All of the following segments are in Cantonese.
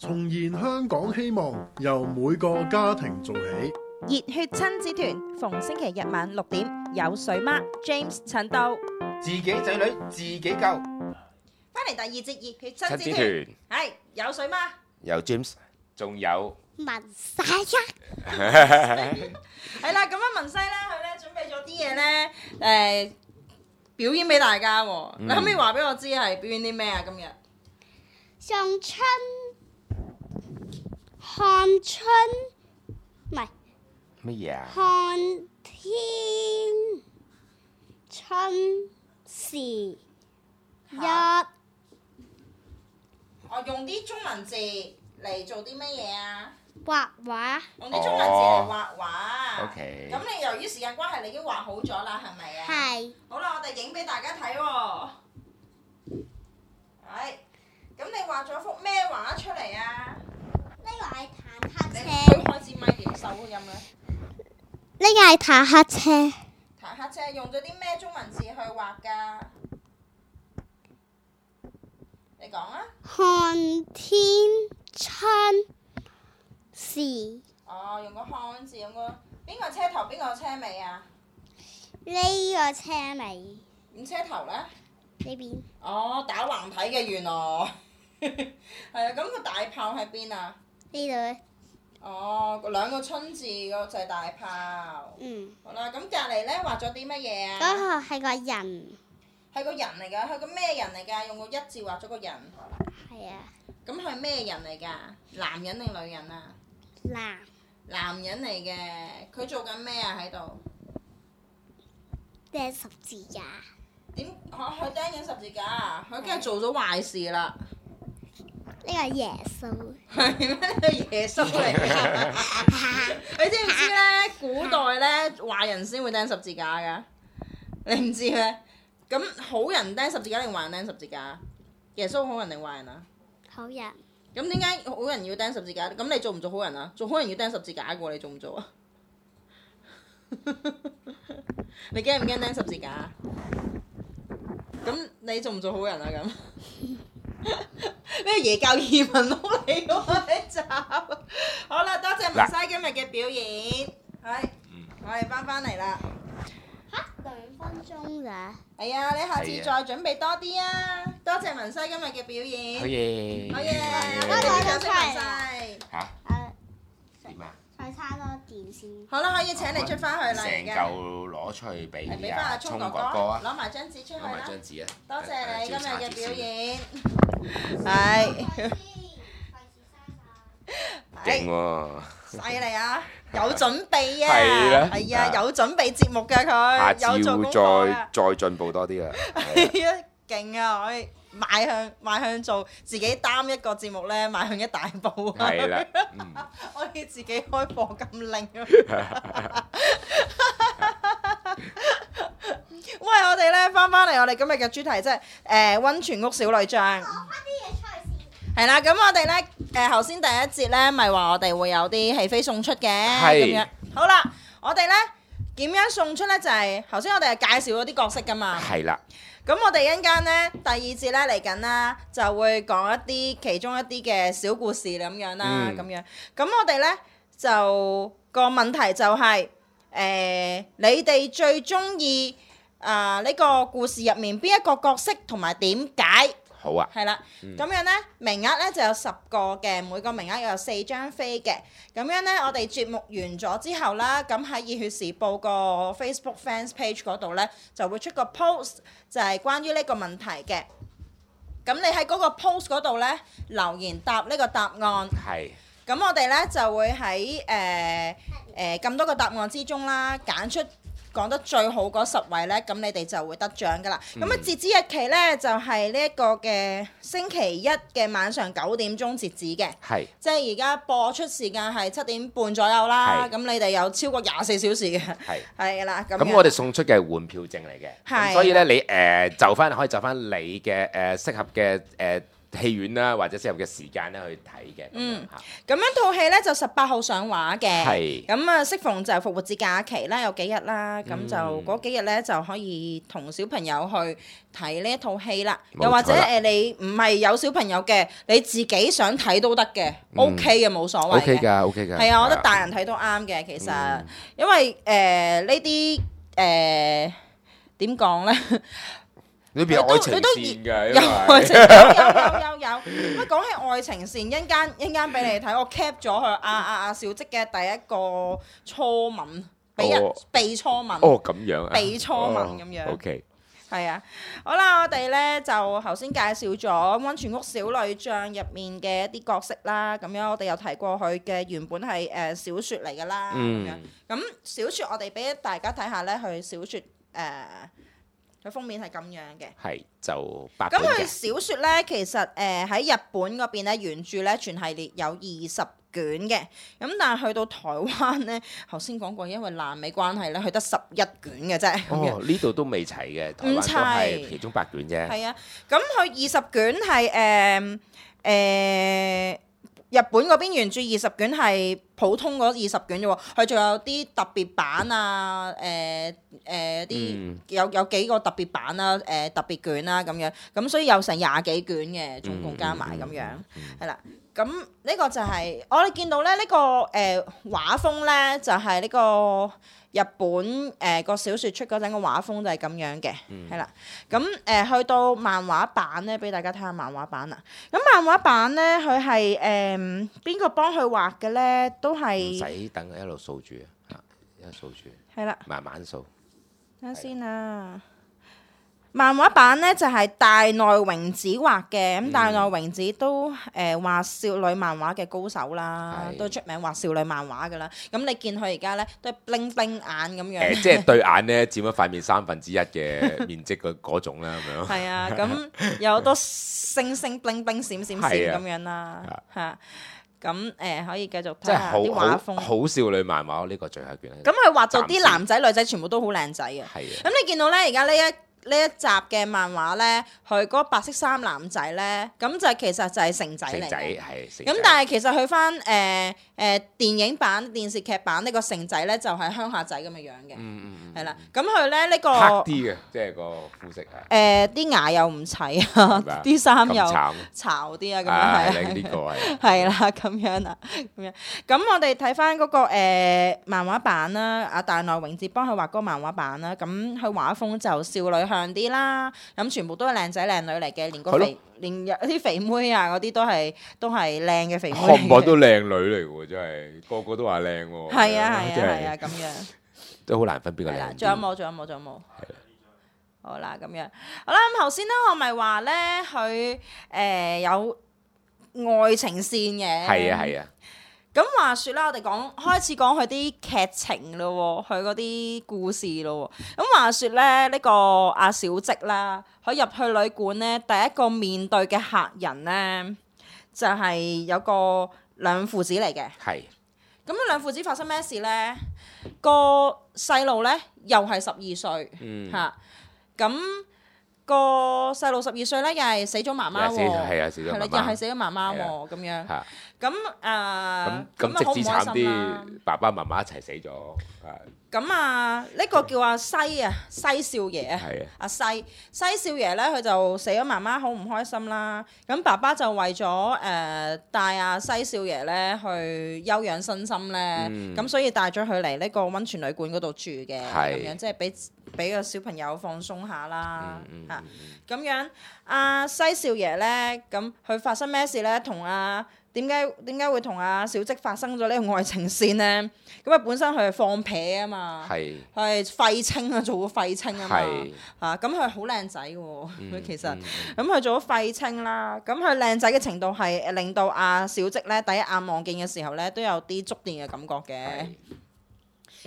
重燃香港希望，由每個家庭做起。熱血親子團逢星期日晚6點，有水媽 James 陳道，自己仔女自己救。翻嚟第二節熱血親子團，係有水媽，有 James， 仲有文西一，係啦，咁樣文西咧，佢咧準備咗啲嘢咧，表演俾大家喎。你可唔可以話俾我知係表演啲咩啊？今日送春看春，唔係乜嘢啊？看天春時一，我用啲中文字嚟做啲乜嘢啊？畫畫。用啲中文字嚟畫畫。OK。咁你由於時間關係，你已經畫好咗啦，係咪啊？係。好啦，我哋影俾大家睇喎。係。咁你畫咗幅咩畫出嚟啊？呢個係坦克你車。推開支咪點收音咧？呢個係坦克車。坦克車用咗啲咩中文字去畫㗎？你講啊！看天春時。哦，用個看字，用個邊個車頭邊個車尾啊？呢個車尾。咁車頭咧？呢邊。哦，打橫睇嘅原來。係啊，咁個大炮喺邊啊？呢度。哦，兩個春字嗰就係大炮。嗯。好啦，咁隔離咧畫咗啲乜嘢啊？嗰個係個人。係個人嚟㗎，係個咩人嚟㗎？用個一字畫咗個人。係啊。咁係咩人嚟㗎？男人定女人啊？男人嚟嘅，佢做緊咩啊喺度？釘十字架。點？佢釘緊十字架啊！佢梗係做咗壞事啦。呢個耶穌。係咩？呢個耶穌嚟㗎。你知唔知咧？古代咧，壞人先會釘十字架㗎。你唔知咩？咁好人釘十字架定壞人釘十字架？耶穌好人定壞人啊？好人。咁點解好人要釘十字架？咁你做唔做好人啊？做好人要釘十字架嘅喎，你做唔做啊？你驚唔驚釘十字架？咁你做唔做好人啊？咁呢個耶教移民佬嚟喎呢集。好啦，多謝文西今日嘅表演，係，我哋翻嚟啦。嚇，2分鐘咋？係啊，你下次再準備多啲啊！多謝文西今日嘅表演。好嘢。好嘢，我多謝出嚟文西。嚇？點啊？再差多電先。好啦，可以請你出翻去啦，成而家。嚿攞出去俾俾翻阿聰哥哥啊！攞埋張紙出去攞埋啦。張紙啊！多謝你今日嘅表演。係。勁喎！犀利啊！有準備啊！係啦係啊，有準備節目㗎下佢，有做功次課啊！再進步多啲啊！係啊，勁啊！可以邁向做自己擔一個節目咧，邁向一大步啊！係啦，可以自己開課咁令啊！喂，我哋咧翻嚟我哋今日嘅主題即係溫泉屋小女將。係啦，咁我哋咧頭先第一節咧，咪話我哋會有啲戲飛送出嘅咁樣。好啦，我哋咧點樣送出咧？就係頭先我哋係介紹咗啲角色噶嘛。係啦。咁我哋一陣間咧第二節咧嚟緊啦，就會講一啲其中一啲嘅小故事咁樣啦，咁樣。咁我哋咧就個問題就係你哋最中意呢個故事入面邊一個角色同埋點解？好啊，係啦，咁樣咧名額咧就有10個嘅，每個名額有4張飛嘅。咁樣咧，我哋節目完咗之後啦，咁喺熱血時報個 Facebook fans page 嗰度咧，就會出個 post，就係關於呢個問題嘅。咁你喺嗰個 post 嗰度咧留言答呢個答案。係。咁我哋咧就會喺咁多個答案之中啦，揀出講得最好嗰10位呢，咁你哋就會得獎噶啦。咁啊，截止日期呢，就係呢一個嘅星期一嘅晚上9點鐘截止嘅。係。即係而家播出時間係7點半左右啦。咁你哋有超過24小時嘅。係。係啦，咁我哋送出嘅係換票證嚟嘅。係。咁所以呢，你可以就翻你嘅適合嘅戲院啦，或者適合嘅時間咧去睇嘅。咁樣套戲咧就18號上畫嘅，係咁啊適逢就復活節假期啦，有幾日啦，咁就嗰幾日咧就可以同小朋友去睇呢一套戲啦。冇錯啦又或者你唔係有小朋友嘅，你自己想睇都得嘅，OK 嘅冇所謂嘅。 OK 㗎，OK 㗎。係啊，我覺得大人睇都啱嘅，其實，因為呢啲點講咧？裏邊有愛情線㗎，因有愛情，有。乜講起愛情線，一陣間俾你睇，我 cap 咗佢阿小積嘅第一個初吻，俾人被初吻。哦，咁樣啊。被初吻咁樣。OK。係啊，好啦，我哋咧就頭先介紹咗《溫泉屋小女將》入面嘅一啲角色啦，咁樣我哋有提過佢嘅原本係小説嚟㗎啦，咁樣。咁小説我哋俾大家睇下咧，佢小説佢封面係咁樣嘅。係就8咁佢本嘅。小説咧，其實喺日本嗰邊咧，原著咧全系列有20卷嘅，咁但係去到台灣咧，頭先講過，因為爛尾關係咧，佢得11卷嘅啫。哦，呢度都未齊嘅，台灣都係其中8卷啫。係啊，咁佢20卷係日本嗰邊原著20卷係普通嗰20卷啫喎，佢仲有啲特別版啊，有幾個特別版啦，特別卷啦咁樣，咁所以有成20幾卷嘅，總共加埋咁樣，係啦。咁呢個就係我哋見到咧，呢個畫風咧就係呢個日本個小説出嗰陣個畫風就係咁樣嘅，係啦。咁去到漫畫版咧，俾大家睇下漫畫版啊。咁漫畫版咧，佢係邊個幫佢畫嘅咧？都唔係使等一路掃住啊，一路掃住，係啦。慢慢掃。等下先啊！漫畫版咧就係大內榮子畫嘅，咁大內榮子都畫少女漫畫嘅高手啦，都出名畫少女漫畫噶啦。咁你見佢而家咧都係 bling bling 眼咁樣，即係對眼咧佔咗塊面1/3嘅面積嗰種啦，咁樣。係啊，咁有好多星星 bling bling 閃閃閃咁樣啦，嚇。咁可以繼續睇下啲畫風，好少女漫畫呢個最後一卷。咁佢畫到啲男仔女仔全部都好靚仔嘅。係啊。咁你見到咧，而家呢一集嘅漫畫咧，佢嗰個白色衫男仔咧，咁就其實就係成仔嚟嘅。咁但係其實佢翻電影版、電視劇版呢個成仔咧，就係鄉下仔咁嘅樣嘅。係啦，咁佢咧呢個黑啲嘅，即係個膚色係。啲牙又唔齊啊，啲衫又巢啲啊，咁樣係啊。呢個係。係啦，咁樣啊，咁樣。咁我哋睇翻嗰個漫畫版啦，阿大內榮子幫佢畫嗰個漫畫版啦，咁佢畫風就少女向啲啦，咁全部都係靚仔靚女嚟嘅，連有啲肥妹啊嗰啲都係靚嘅肥妹。看唔都靚女嚟喎，真係個個都話靚喎。係啊，咁樣都好難分邊個靚。仲有冇？好啦，咁樣好啦。咁頭先咧，我咪話咧佢有愛情線嘅。係啊。咁話説啦，我哋開始講佢啲劇情咯，佢嗰啲故事咯。咁話説咧，呢個阿小積啦，佢入去旅館咧，第一個面對嘅客人咧，就係有個兩父子嚟嘅。係。咁兩父子發生咩事咧？個細路咧又係12歲嚇，咁個細路12歲咧又係死咗媽媽喎，係啊，死咗媽媽，又係死咗媽媽喎，咁樣。咁咁直至慘啲，爸爸媽媽一齊死咗。咁呢個叫阿西少爺啊，阿西少爺咧，佢就死咗媽媽，好唔開心啦。咁爸爸就為咗帶阿西少爺咧去休養身心咧，咁所以帶咗佢嚟呢個溫泉旅館嗰度住嘅，咁樣即係俾個小朋友放鬆下啦嚇。咁樣阿西少爺咧，咁佢發生咩事咧？同點解會同阿小積發生咗呢個愛情線咧？咁本身佢係放屁啊嘛，佢係廢青啊，做過廢青啊嘛，咁佢好靚仔嘅喎，佢其實咁佢做咗廢青啦，咁佢靚仔嘅程度係令到阿小積咧第一眼望見嘅時候咧都有啲觸電嘅感覺嘅。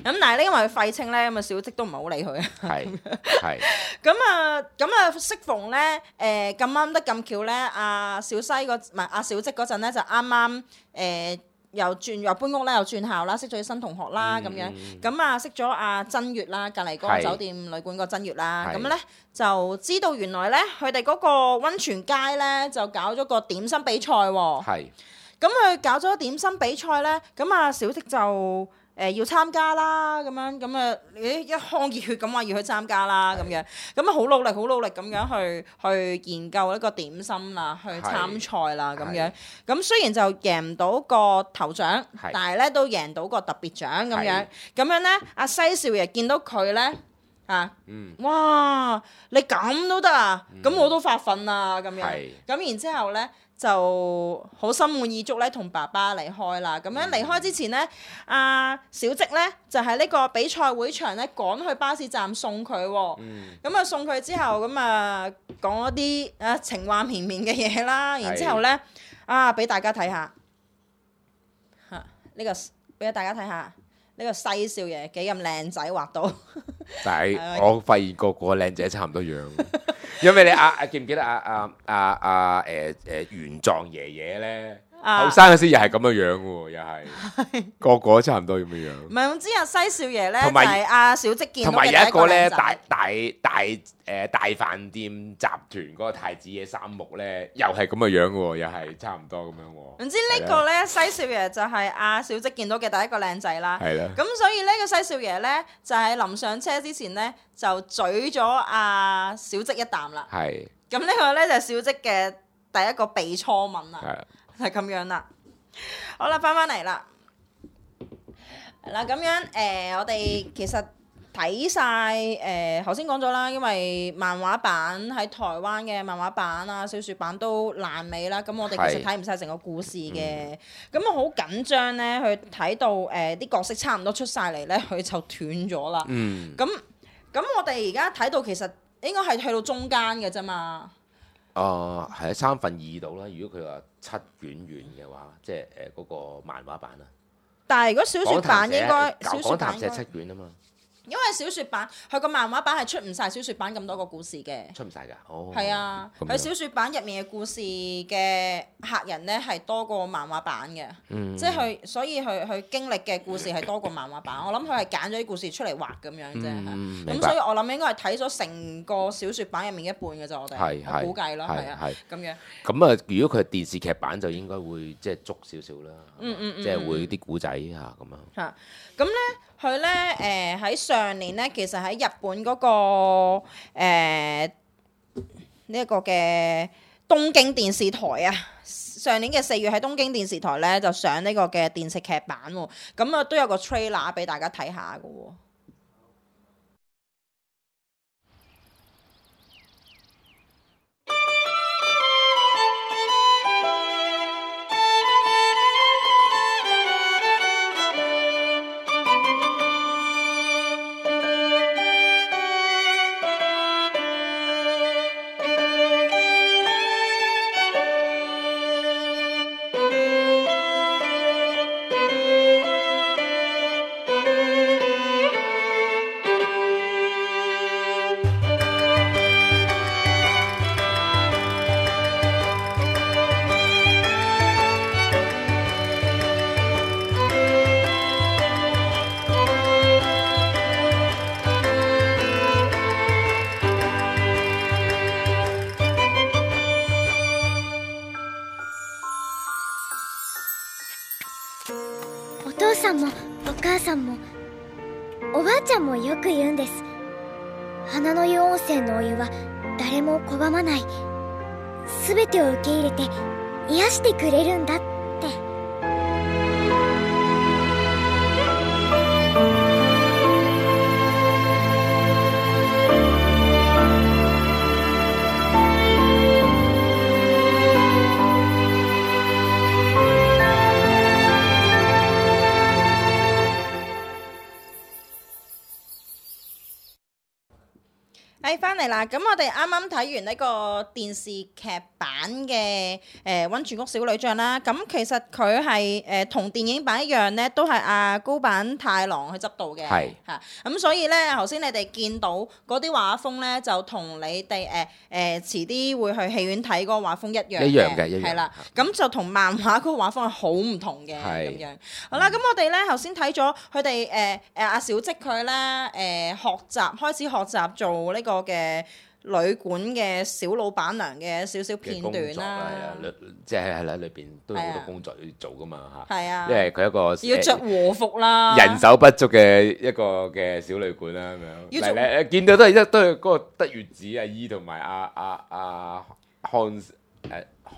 咁但係咧，因為佢廢青咧，咁小積都唔係好理佢啊。係。咁適逢咧，咁啱得咁巧咧，阿小積嗰陣咧就啱啱又搬屋啦，又轉校啦，識咗啲新同學啦咁樣。咁啊識咗阿珍月啦，隔離嗰個酒店旅館個珍月啦。咁咧就知道原來咧佢哋嗰個温泉街咧就搞咗個點心比賽喎。係。咁佢搞咗點心比賽咧，咁啊小息就要參加啦，咁啊一腔熱血咁話要去參加啦，咁樣咁啊好努力咁樣去研究呢個點心啦，去參賽啦，咁樣咁雖然就贏唔到個頭獎，但係咧都贏到個特別獎咁樣咧，阿西少爺見到佢咧哇你咁都得啊，咁我都發奮啦，咁樣咁然之後咧。就好心滿意足咧，同爸爸離開啦。咁樣離開之前咧，阿小積咧就喺呢個比賽會場咧趕去巴士站送佢喎。咁啊送佢之後，咁啊講一啲情話綿綿嘅嘢啦。然之後咧俾大家睇下呢個，俾大家睇下呢個西少爺幾咁靚仔畫到。但係我發現個靚仔差唔多樣。因為你記唔記得玄奘爺爺咧，後生嗰時又係咁嘅樣喎，又係個差唔多咁嘅樣。唔係，總之阿西少爺咧就係阿小積見到嘅第一個靚仔。同埋有一個咧大飯店集團嗰個太子爺三木咧，又係咁嘅樣喎，又係差唔多咁樣喎。總之呢個咧西少爺就係阿小積見到嘅第一個靚仔啦。係啦。咁所以呢個西少爺咧就係臨上車之前咧就嘴咗阿小積一啖啦。係。咁呢個咧就係小積嘅第一個被初吻啦。係咁樣啦。好啦，翻嚟啦。係啦，咁樣我哋其實睇晒頭先講咗啦，因為漫畫版喺台灣嘅漫畫版啊、小説版都爛尾啦，咁我哋其實睇唔晒成個故事嘅，咁我好緊張咧，去睇到啲角色差唔多出晒嚟咧，佢就斷咗啦。咁我哋而家睇到其實應該係去到中間嘅啫嘛。係啊，2/3度啦。如果佢話7卷完嘅話，即係嗰個漫畫版啊。但係如果小説版應該小説版講談社7卷啊嘛。因為小説版佢個漫畫版係出唔晒小説版咁多個故事嘅，出唔晒㗎，係啊，佢小説版入面嘅故事嘅客人咧係多過漫畫版嘅，即係佢所以佢經歷嘅故事係多過漫畫版。我諗佢係揀咗啲故事出嚟畫咁樣啫，咁所以我諗應該係睇咗成個小説版入面一半嘅啫，我估計咯，係啊，咁樣。咁啊，如果佢係電視劇版就應該會即係足少少啦，即係會啲古仔嚇咁樣。嚇，咁咧。佢咧喺上年咧，其實喺日本嗰個呢一個嘅東京電視台啊，上年嘅4月喺東京電視台咧就上呢個嘅電視劇版喎，咁啊都有個 trailer 俾大家睇下㗎喎。お父さんもお母さんもおばあちゃんもよく言うんです。花の湯温泉のお湯は誰も拒まない、全てを受け入れて癒してくれるんだって。翻嚟嚟啦！咁我哋啱啱睇完呢個電視劇版嘅溫泉谷小女將啦，咁其實佢係同電影版一樣咧，都係阿高坂太郎去執導嘅，係嚇。咁所以咧，頭先你哋見到嗰啲畫風咧，就同你哋遲啲會去戲院睇嗰個畫風一樣一樣嘅，一樣係啦。咁就同漫畫嗰個畫風係好唔同嘅咁樣。好啦，咁我哋咧頭先睇咗佢哋阿小積佢咧開始學習做呢個嘅旅館嘅小老闆娘嘅少少片段啦，即係啦，裏邊都有好多工作要做噶嘛嚇。係啊，因為佢一個要着和服啦，人手不足嘅一個嘅小旅館啦咁樣。嚟見到都係嗰個德月子阿姨同埋阿康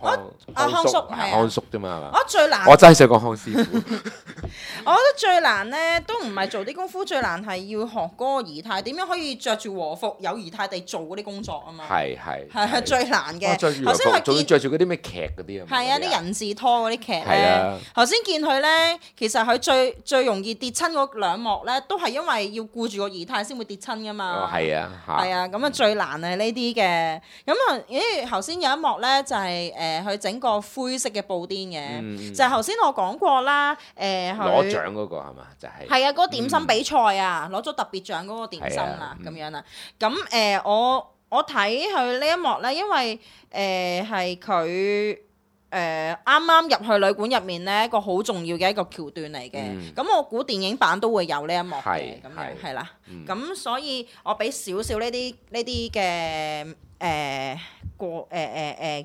康叔啫嘛係嘛？最難，我真係想講康師傅。我覺得最難咧，都唔係做啲功夫，最難係要學嗰個儀態，點樣可以着住和服有儀態地做嗰啲工作啊嘛。係最難嘅。頭先佢仲要着住嗰啲咩劇嗰啲啊？係啊，啲人字拖嗰啲劇咧。頭先見佢咧，其實佢最容易跌親嗰兩幕咧，都係因為要顧住個儀態先會跌親噶嘛。係啊，咁啊最難係呢啲嘅。咁啊，頭先有一幕咧就係佢整個灰色嘅布甸嘅，就係頭先我講過啦，攞獎嗰個係嘛？就係啊，嗰個點心比賽啊，攞咗特別獎嗰個點心啦，咁樣啦。咁我睇佢呢一幕咧，因為係佢啱啱入去旅館入面咧，一個好重要嘅一個橋段嚟嘅。咁我估電影版都會有呢一幕嘅，咁樣係啦。咁所以我俾少少呢啲嘅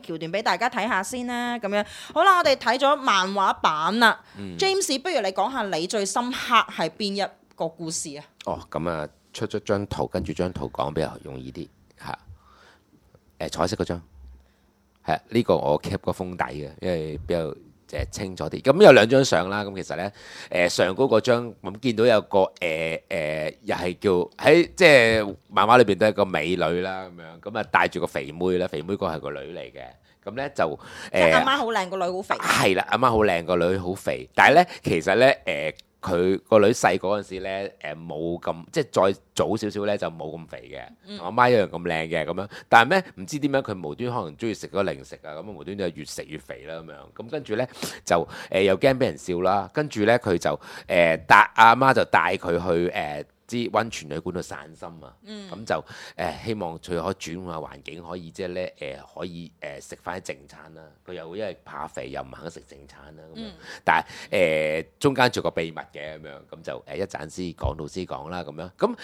橋段俾大家睇下先啦，咁樣好啦，我哋睇咗漫畫版啦。James， 不如你講下你最深刻係邊一個故事啊？咁啊，出咗張圖，跟住張圖講比較容易啲嚇。彩色嗰張係呢個我 keep 個封底嘅，因為比較清楚啲。咁有兩張相啦，咁其實咧上高嗰張咁見到有個又係叫喺即係漫畫裏邊都係個美女啦，咁啊帶住個肥妹啦，肥妹個係個女嚟嘅。咁咧就阿媽好靚，個女好肥。係啦，阿媽好靚，個女好肥。但係咧其實咧佢個女細嗰陣時咧，冇咁即係再早少少咧就冇咁肥嘅，同阿媽一樣咁靚嘅咁樣。但係咩唔知點解佢無端可能中意食嗰零食啊，咁無端就越食越肥啦咁樣。咁跟住咧就又驚俾人笑啦，跟住咧佢就帶阿媽就帶佢去啲溫泉旅館度散心啊，咁就希望佢可以轉換下環境，可以即係咧可以食翻啲正餐啦。佢又因為怕肥又唔肯食正餐啦咁樣，但係中間做個秘密嘅咁樣，咁就一陣先講到先講啦咁樣。咁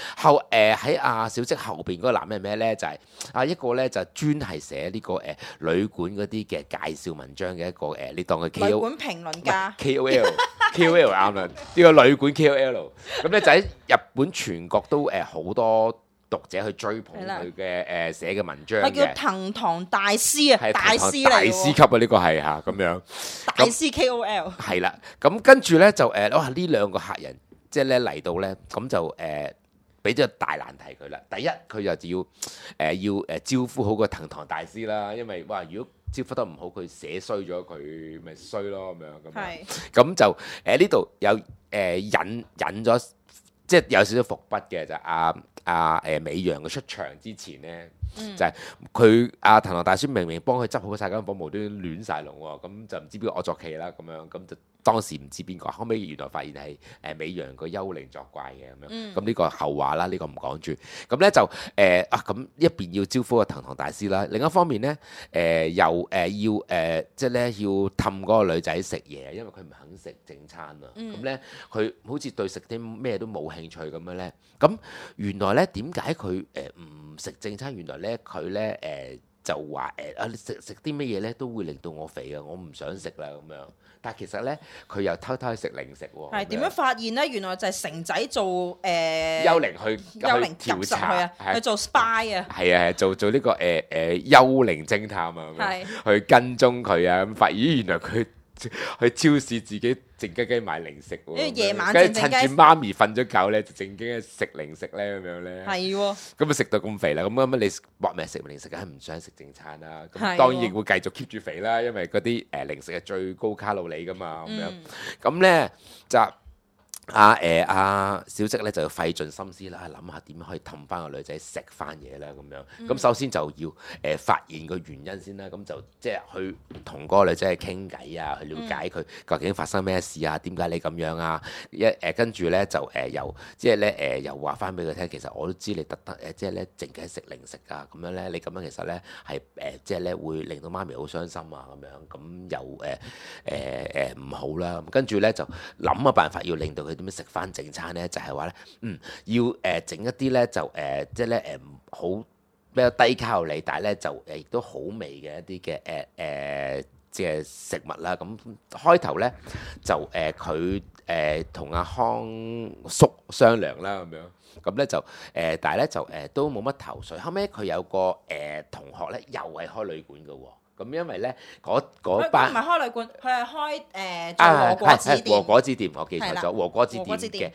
喺阿小積後邊嗰個男人係咩咧？就係一個咧就專係寫呢個旅館嗰啲嘅介紹文章嘅一個你當佢 KOL 旅館評論家 KOL 啱啦，呢個旅館 KOL 咁咧就喺日本全國都好多讀者去追捧佢嘅寫嘅文章嘅，係叫藤堂大師啊，大師嚟喎，大師級啊呢個係嚇咁樣，大師 KOL 係啦。咁跟住咧就哇呢兩個客人即係咧嚟到咧，咁就俾咗大難題佢啦。第一佢就要招呼好個藤堂大師啦，因為哇如果招呼得唔好，佢寫衰咗佢咪衰咯咁樣咁就呢度有引咗。即係有少少伏筆嘅就美陽嘅出場之前咧，就係佢藤堂大師明明幫佢執好晒間房，無端端亂晒龍喎，咁就唔知邊個惡作劇啦咁樣，咁就當時唔知邊個，後尾原來發現係美陽個幽靈作怪嘅咁樣，咁呢個後話啦，呢個唔講住。咁咧就咁一邊要招呼個藤堂大師啦，另一方面咧又要即係咧要氹嗰個女仔食嘢，因為佢唔肯食正餐啊。咁咧佢好似對食啲咩都冇興趣咁樣咧。咁原來咧點解佢唔食正餐？原來咧佢咧就話食啲乜嘢咧都會令到我肥啊！我唔想食啦咁樣。但係其實咧佢又偷偷去食零食喎。係點樣發現咧？原來就係城仔做幽靈去調查去做 spy 啊。係啊，做呢個幽靈偵探啊，去跟蹤佢啊，咁發現原來佢去超市自己靜雞雞買零食喎，因為夜晚跟住趁住媽咪瞓咗覺咧，就靜雞雞食零食咧咁樣咧。係喎。咁啊食到咁肥啦，咁你搏命食零食，梗係唔想食正餐啦。咁當然亦會繼續 keep 住肥啦，因為嗰啲零食係最高卡路里噶嘛咁樣。咁咧就阿小積咧就要費盡心思啦，諗下點樣可以氹翻個女仔食翻嘢啦咁樣。咁首先就要發現個原因先啦，咁就即係去同嗰個女仔去傾偈啊，去了解佢究竟發生咩事啊，點解你咁樣啊？跟住咧就又即係咧又話翻俾佢聽，其實我都知你特登即係咧淨係食零食啊，咁樣咧你咁樣其實咧係即係咧會令到媽咪好傷心啊咁樣，咁又唔好啦。跟住咧就諗個辦法要令到佢點樣食翻正餐咧，就係話咧要整一啲咧就即係咧好比較低卡路里，但係咧就亦都好味嘅一啲嘅即係食物啦。咁開頭咧就佢同阿康叔商量啦咁樣，咁咧就但係咧就都冇乜頭緒。後尾佢有個同學咧又係開旅館嘅喎。咁因為咧嗰班唔係開旅館，佢係開做和果子店。和果子店，我記錯咗，係和果子店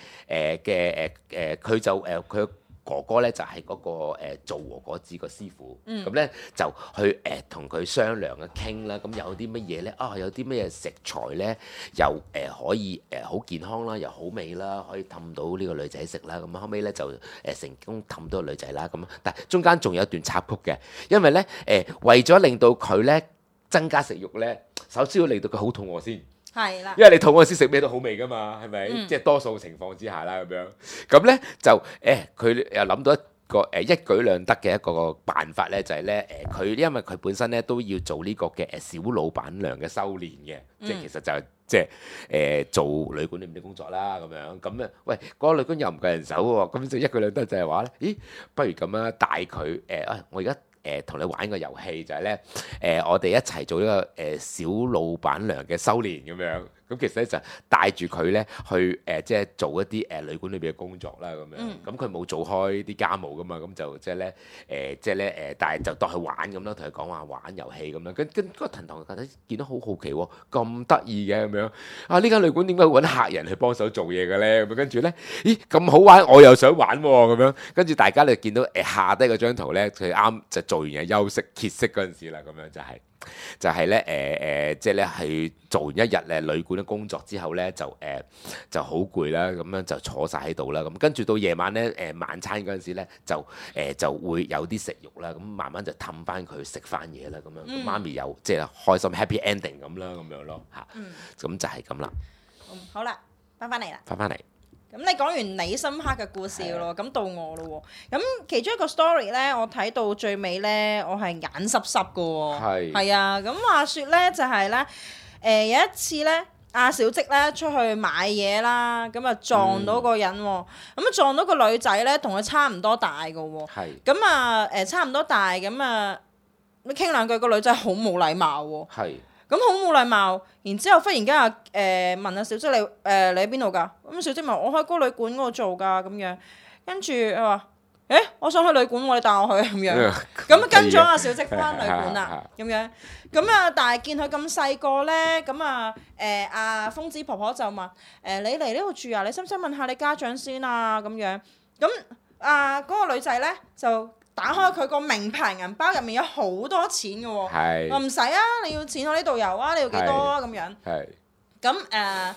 嘅佢就佢哥哥咧就係嗰個做和果子個師傅，咁咧就去同佢商量啊傾啦，咁有啲乜嘢咧？有啲乜嘢食材咧又可以好健康啦，又好味啦，可以氹到呢個女仔食啦。咁後尾咧就成功氹到個女仔啦。咁但係中間仲有一段插曲嘅，因為咧為咗令到佢咧增加食慾咧，首先要令到佢好肚餓先。係啦，因為你肚餓先食咩都好味噶嘛，係咪？即係多數情況之下啦，咁樣。咁咧就佢又諗到一個一舉兩得嘅一個辦法咧，就係咧佢因為佢本身咧都要做呢個嘅小老闆娘嘅修練嘅，即係其實就係即係做旅館裏面啲工作啦，咁樣。咁咧，喂，嗰個旅館又唔夠人手喎，咁就一舉兩得就係話咧，咦，不如咁樣帶佢我而家。同你玩個遊戲就係咧，我哋一齊做呢個小老闆娘嘅修練咁樣，咁其實咧就帶住佢咧去即係做一啲旅館裏邊嘅工作啦咁樣，咁佢冇做開啲家務噶嘛，咁就即係咧但係就當佢玩咁啦，同佢講話玩遊戲咁樣，跟嗰個騰堂覺得見到好好奇喎，咁得意嘅咁樣，呢間旅館點解會揾客人去幫手做嘢嘅咧？咁跟住咧，咦咁好玩，我又想玩喎咁樣，跟住大家你見到下低嗰張圖咧，佢啱就做完嘢休息歇息嗰陣時啦，咁樣就係咧即係咧係做完一日旅館嘅工作之後咧，就好攰啦，咁樣就坐晒喺度啦，咁跟住到夜晚咧晚餐嗰陣時咧，就會有啲食慾啦，咁慢慢就氹翻佢食翻嘢啦，咁樣媽咪又即係開心 happy ending 咁啦，咁樣咯嚇，咁就係咁啦。好啦，翻嚟啦，翻嚟。咁你講完你深刻嘅故事咯，咁到我咯喎。咁其中一個 story 咧，我睇到最尾咧，我係眼濕濕嘅喎。係啊，咁話説咧就係咧，有一次咧，阿小積咧出去買嘢啦，咁啊撞到個人喎，咁啊撞到個女仔咧，同佢差唔多大嘅喎。咁啊差唔多大，咁啊傾兩句，個女仔好冇禮貌喎。咁好冇禮貌，然之後忽然間問阿小積你喺邊度㗎？咁小積問我喺嗰個旅館嗰度做㗎咁樣，跟住佢話我想去旅館喎，你帶我去咁樣，咁跟咗阿小積翻旅館啦咁樣，咁啊但係見佢咁細個咧，咁啊阿瘋子婆婆就問你嚟呢度住啊？你使唔使問下你家長先啊？咁樣，咁嗰個女仔咧就打開佢個名牌銀包，入面有好多錢嘅喎，話唔使啊，你要錢我呢度有啊，你要幾多啊咁樣，咁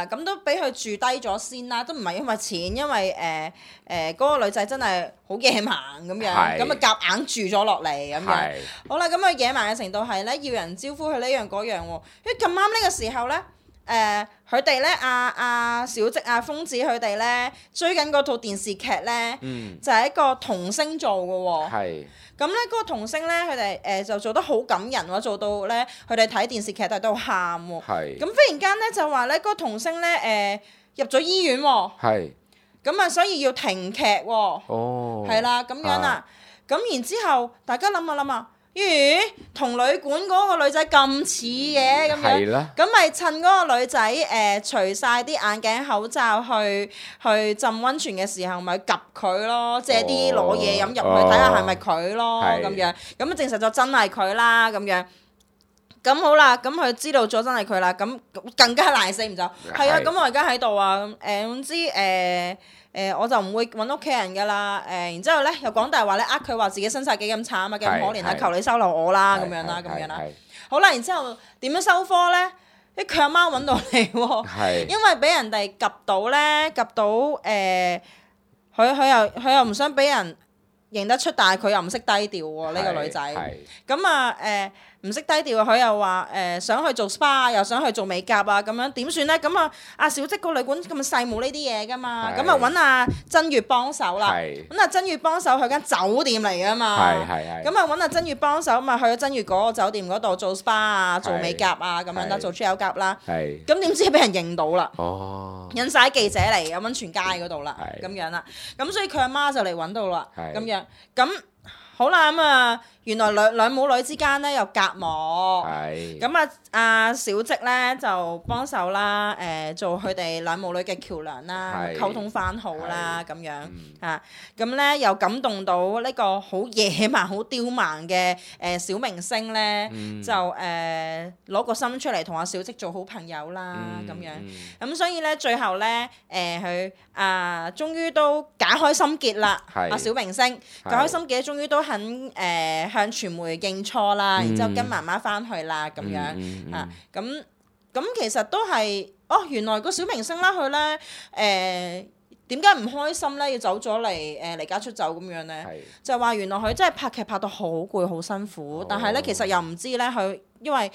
咁都俾佢住低咗先啦，都唔係因為錢，因為嗰個女仔真係好野蠻咁樣，咁啊夾硬住咗落嚟咁樣。好啦，咁啊野蠻嘅程度係咧，要人招呼佢呢樣嗰樣喎，因為咁啱呢個時候咧。佢哋咧，阿小積、阿瘋子佢哋咧追緊嗰套電視劇咧，就係一個童星做嘅喎。咁咧嗰個童星咧，佢哋就做得好感人喎，做到咧佢哋睇電視劇都喺度喊喎。咁忽然間咧就話咧嗰個童星咧入咗醫院喎。咁啊，所以要停劇喎。係啦，咁樣啦。咁然之後，大家諗下。咦，同旅館嗰個女仔咁似嘅咁樣，咁咪趁嗰個女仔除晒啲眼鏡口罩去浸溫泉嘅時候，咪及佢咯，借啲攞嘢飲入去睇下係咪佢咯咁樣，咁證實咗真係佢啦咁樣。咁好啦，咁佢知道咗真係佢啦，咁更加賴死唔走。係啊，咁我而家喺度啊，總之我就唔會揾屋企人噶啦，然之後咧又講大話咧，佢話自己身世幾咁慘啊，幾咁可憐啊，求你收留我啦咁樣啦，咁樣啦。好啦，然之後點樣收科咧？佢阿媽揾到你喎，係因為俾人哋及到咧，及到佢又唔想俾人認得出，但係佢又唔識低調喎呢個女仔。係咁啊唔識低調，佢又話想去做 SPA，又想去做美甲啊，咁樣點算咧？咁啊阿小積個旅館咁細冇呢啲嘢噶嘛，係咁啊揾阿珍月幫手啦。係咁啊珍月幫手去間酒店嚟噶嘛。係咁啊揾阿珍月幫手，咪去咗珍月嗰個酒店嗰度做 SPA 啊，做美甲啊咁樣啦，係做 gel 甲啦。係咁點知俾人認到啦？哦引晒記者嚟咁溫泉街嗰度啦，係咁樣啦，咁所以佢阿媽就嚟揾到啦，係咁樣，咁好啦，咁啊，原來兩母女之間咧有隔膜，係咁啊，阿小積咧就幫手啦，做佢哋兩母女嘅橋梁啦，係溝通翻好啦，咁樣嗯啊，咁咧又感動到呢個好野蠻、好刁蠻嘅小明星咧，就攞個心出嚟同阿小積做好朋友啦，咁樣。咁所以咧，最後咧，佢終於都解開心結啦。係阿小明星解開心結，終於都肯向傳媒認錯啦，然之後跟媽媽翻去啦，咁樣啊。咁其實都係原來個小明星啦，佢咧點解唔開心咧？要走咗嚟離家出走咁樣咧？係就話原來佢真係拍劇拍到好攰好辛苦，但係咧其實又唔知咧佢因為。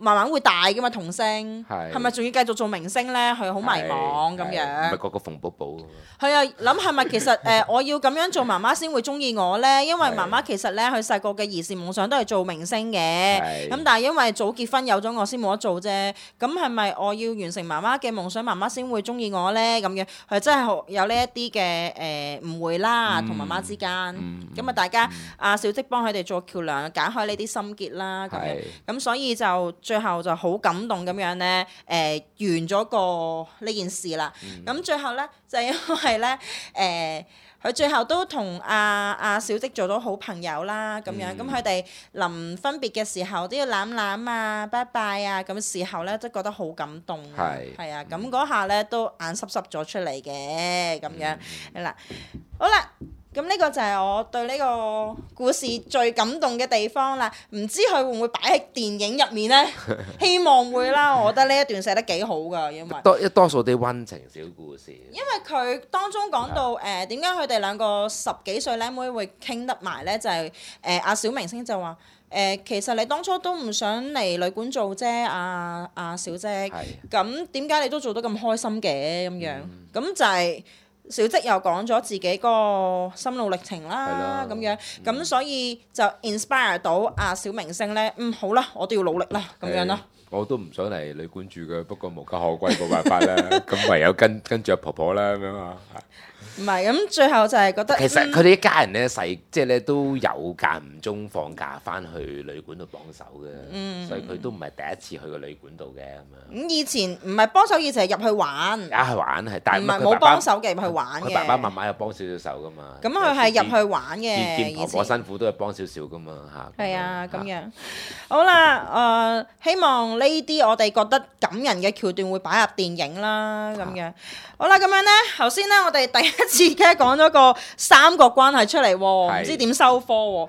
慢慢會大噶嘛，童星係咪仲要繼續做明星咧？佢好迷茫咁樣。唔係個個馮寶寶㗎嘛係啊，諗係咪其實我要咁樣做媽媽先會中意我咧？因為媽媽其實咧，佢細個嘅兒時夢想都係做明星嘅。咁但係因為早結婚有咗我先冇得做啫。咁係咪我要完成媽媽嘅夢想，媽媽先會中意我咧？咁樣係真係有呢一啲嘅誤會啦，同媽媽之間。咁啊，大家阿小積幫佢哋做橋梁，解開呢啲心結啦。咁樣咁所以就。最後就好感動咁樣咧，完咗呢件事啦。咁最後咧就因為咧，佢最後都同阿小積做咗好朋友啦，咁樣。咁佢哋臨分別嘅時候都要攬攬啊、拜拜啊，咁時候咧都覺得好感動。係啊，咁嗰下咧都眼濕濕咗出嚟嘅，咁樣係啦。好啦。咁呢個就係我對呢個故事最感動嘅地方啦，唔知佢會唔會擺喺電影入面呢？希望會啦，我覺得呢一段寫得幾好㗎，因為多數啲溫情小故事。因為佢當中講到點解佢哋兩個10幾歲靚妹會傾得埋呢？就係阿小明星就話其實你當初都唔想嚟旅館做啫，阿小積，咁點解你都做得咁開心嘅咁樣？咁就係。小積又講咗自己個心路歷程啦，咁樣，咁所以就 inspire 到阿小明星咧，好啦，我都要努力啦，咁樣咯。我都唔想嚟旅館住嘅，不過無家可歸冇辦法啦，咁唯有跟住阿婆婆啦咁樣啊。唔係，咁最後就係覺得其實佢哋一家人咧即係咧都有間唔中放假翻去旅館度幫手嘅，所以佢都唔係第一次去個旅館度嘅咁樣。咁以前唔係幫手，以前係入去玩。去玩係，但係唔係冇幫手嘅入去玩嘅。佢爸爸媽媽有幫少少手噶嘛。咁佢係入去玩嘅。見婆婆辛苦都係幫少少噶嘛嚇。係啊，咁樣。好啦，希望呢啲我哋覺得感人嘅橋段會擺入電影啦，咁樣。好啦，咁樣咧，頭先咧我哋第一次嘅講咗個三角關係出嚟喎，唔知點收科喎。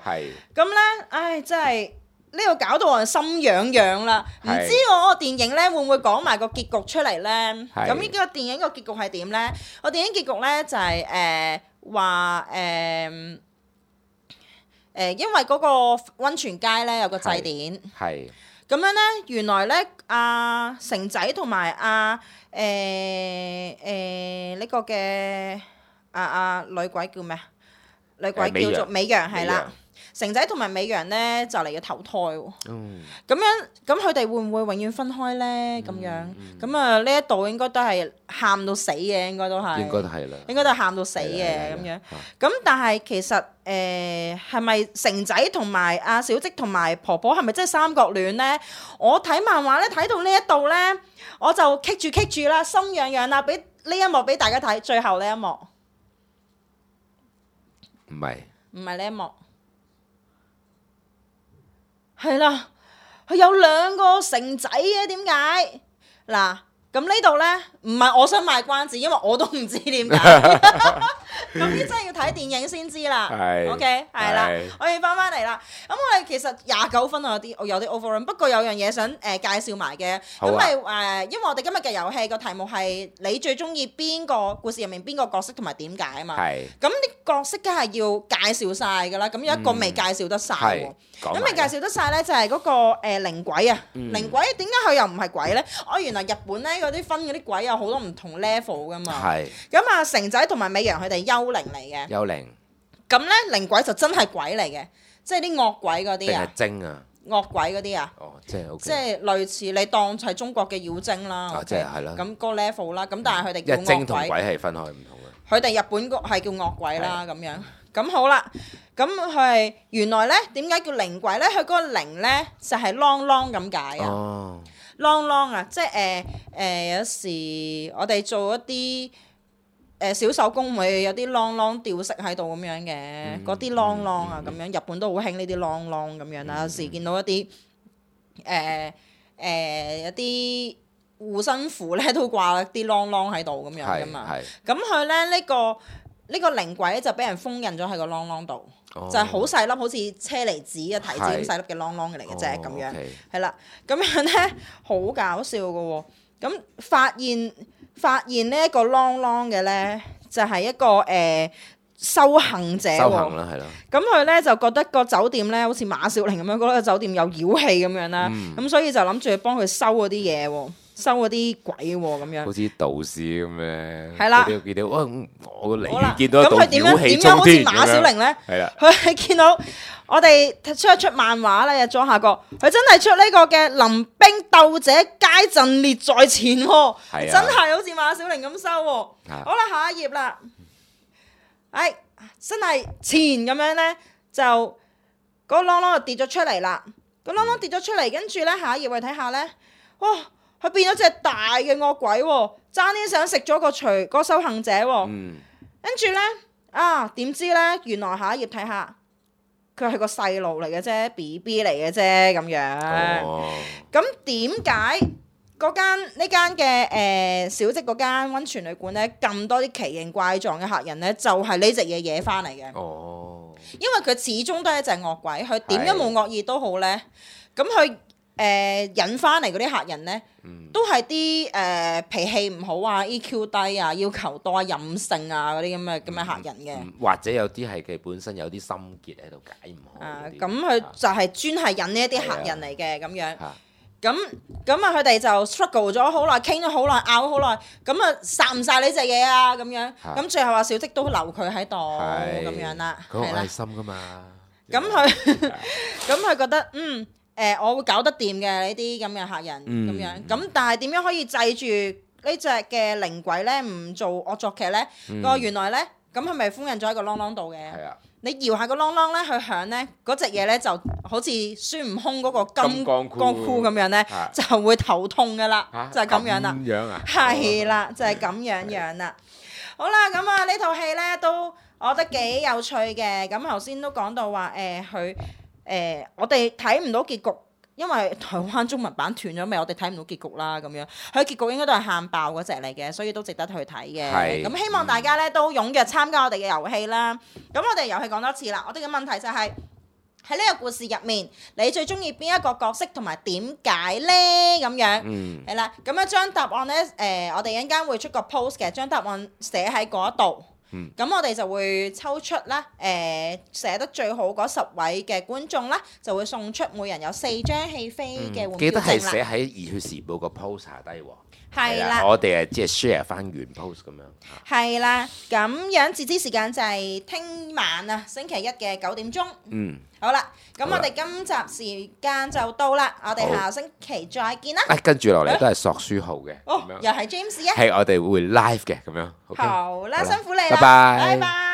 咁咧，真係呢個搞到我心癢癢啦。唔知我個電影咧會唔會講埋個結局出嚟咧？咁呢個電影個結局係點咧？個電影結局咧就係話因為嗰個温泉街咧有個祭典。咁樣咧，原來咧阿成仔同埋呢個嘅女鬼叫咩啊？女鬼叫做美羊係啦。成仔同埋美羊咧就嚟要投胎喎。咁樣咁佢哋會唔會永遠分開咧？咁樣咁呢一度應該都係喊到死嘅，應該都係。應該都係啦。應該都係喊到死嘅咁樣。咁但係其實係咪成仔同埋阿小積同埋婆婆係咪真係三角戀咧？我睇漫畫咧睇到呢一度咧，我就棘住啦，心癢癢啦，俾呢一幕俾大家睇，最後呢一幕。唔係呢一幕。係啦，佢有兩個成仔嘅，點解？嗱，咁呢度呢，唔係我想賣關子，因為我都唔知點解。咁呢真係要睇電影先知啦。OK， 係啦，我要翻嚟啦。咁我哋其實29分啊，有啲 overrun， 不過有樣嘢想介紹埋嘅。咁咪因為我哋今日嘅遊戲個題目係你最中意邊個故事入面邊個角色同埋點解啊嘛。咁啲角色梗係要介紹晒㗎啦。咁有一個未介紹得晒喎。咁未介紹得晒呢，就係嗰個靈鬼啊。靈鬼點解佢又唔係鬼呢？原來日本呢嗰啲分嗰啲鬼有好多唔同 level 噶嘛。咁啊，成仔同埋美陽佢哋幽靈嚟嘅。幽靈。咁呢靈鬼就真係鬼嚟嘅，即係啲惡鬼嗰啲啊。定係精啊？惡鬼嗰啲啊。即係類似你當係中國嘅妖精啦。即係係啦。咁個 level 啦，咁但係佢哋叫惡鬼。精同鬼係分開唔同嘅。佢哋日本係叫惡鬼啦，咁樣。咁好啦，咁佢係原來呢點解叫靈鬼呢？佢嗰個靈呢就係啷啷咁解啊。啷啷啊，即係有時我哋做一啲小手工會有啲啷啷吊飾喺度咁樣嘅，嗰啲啷啷啊咁樣，日本都好興呢啲啷啷咁樣啦。有時見到一啲一啲護身符咧都掛啲啷啷喺度咁樣噶嘛。咁佢咧呢個靈鬼就俾人封印咗喺個啷啷度。就係好細粒，好似車厘子嘅提子咁細粒嘅啷啷嘅嚟嘅啫，咁樣係啦。咁樣咧好搞笑嘅喎。咁發現呢一個啷啷嘅咧，就係一個修行者喎。修行啦，係咯。咁佢咧就覺得個酒店咧好似馬小玲咁樣，覺得個酒店有妖氣咁樣啦。咁所以就諗住去幫佢收嗰啲嘢喎。收嗰啲鬼喎咁樣，好似道士咁樣。係啦，見到我嚟見到一道妖氣衝天咁樣。咁佢點樣好似馬小玲咧？係啦，佢係見到我哋出漫畫咧，左下角佢真係出呢個嘅臨兵鬥者皆陣列在前喎，真係好似馬小玲咁收喎。好啦，下一頁啦，真係前咁樣咧，就嗰個啷啷就跌咗出嚟啦。個啷啷跌咗出嚟，跟住咧下一頁我哋睇下咧，哇！佢變咗隻大嘅惡鬼喎，爭啲想食咗個修行者喎。跟住咧點知咧原來下一頁睇下，佢係個細路嚟嘅啫 ，BB 嚟嘅啫咁樣。咁點解呢間嘅小積嗰間溫泉旅館咧咁多啲奇形怪狀嘅客人咧，就係呢隻嘢惹翻嚟嘅。因為佢始終都係一隻惡鬼，佢點樣冇惡意都好咧，咁佢引翻嚟嗰啲客人咧，都係啲脾氣唔好啊、EQ 低啊、要求多啊、任性啊嗰啲咁嘅客人嘅。或者有啲係佢本身有啲心結喺度解唔好。咁佢就係專係引呢一啲客人嚟嘅咁樣。咁佢哋就 struggle 咗好耐，傾咗好耐，拗咗好耐，咁啊殺唔殺呢隻嘢啊咁樣。咁最後話小積都留佢喺度咁樣啦。佢好愛心噶嘛。咁佢覺得我會搞得掂嘅呢啲咁嘅客人咁樣，咁但係點樣可以制住呢隻嘅靈鬼咧？唔做惡作劇咧？原來咧，咁係咪封印咗喺個啷啷度嘅？你搖下個啷啷咧，佢響咧，嗰隻嘢咧就好似孫悟空嗰個金剛箍咁樣咧，就會頭痛噶啦，就係咁樣啦。咁樣啊？係啦，就係咁樣啦。好啦，咁啊呢套戲咧都我覺得幾有趣嘅。咁頭先都講到話佢。我哋睇唔到結局，因為台灣中文版斷咗未，我哋睇唔到結局啦咁樣。佢結局應該都係喊爆嗰隻嚟嘅，所以都值得去睇嘅。咁希望大家咧都踴躍參加我哋嘅遊戲啦。咁我哋遊戲講多次啦，我哋嘅問題就係喺呢個故事入面，你最中意邊一個角色同埋點解呢？咁樣係啦。咁樣將答案呢，我哋一陣間會出個 post 嘅，將答案寫喺嗰度。咁我哋就會抽出啦，寫得最好嗰10位嘅觀眾啦，就會送出每人有4張戲飛嘅換票證啦。記得係寫喺《熱血時報》個 post 下低喎。係啦，我哋即係 share 翻原 post 咁樣。係啦，咁樣截止時間就係聽晚啊，星期一嘅9點鐘。好啦，咁我哋今集時間就到啦，我哋下星期再見啦。跟住落嚟都係索書號嘅，又係 James 啊。係我哋會 live 嘅咁樣。好啦，辛苦你啦，拜拜。